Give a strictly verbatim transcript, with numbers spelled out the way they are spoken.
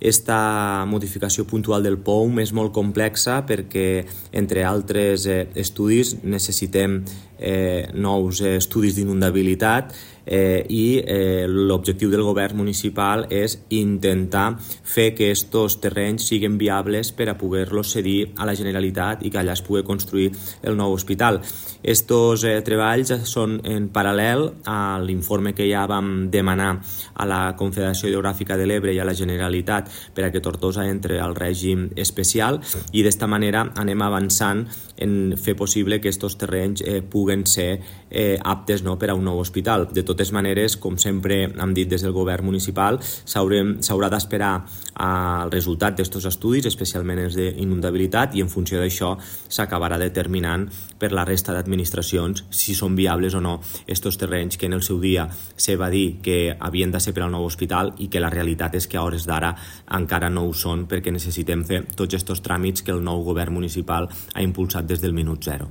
Esta modificació puntual del P O U M és molt complexa perquè, entre altres eh, estudis, necessitem eh, nous eh, estudis d'inundabilitat eh, i eh, l'objectiu del govern municipal és intentar fer que aquests terrenys siguin viables per a poder-los cedir a la Generalitat i que allà es pugui construir el nou hospital. Estos eh, treballs són en paral·lel a l'informe que ja vam demanar a la Confederació Hidrogràfica de l'Ebre i a la Generalitat per a que Tortosa entre al règim especial, i d'esta manera anem avançant en fer possible que aquests terrenys eh, puguen ser eh, aptes no, per a un nou hospital. De totes maneres, com sempre hem dit des del govern municipal, s'haurà d'esperar al resultat d'aquests estudis, especialment els d'inundabilitat, i en funció d'això s'acabarà determinant per la resta d'administracions si són viables o no aquests terrenys que en el seu dia se va dir que havien de ser per al nou hospital i que la realitat és que a hores d'ara encara no ho són, perquè necessitem fer tots aquests tràmits que el nou govern municipal ha impulsat des del minut zero.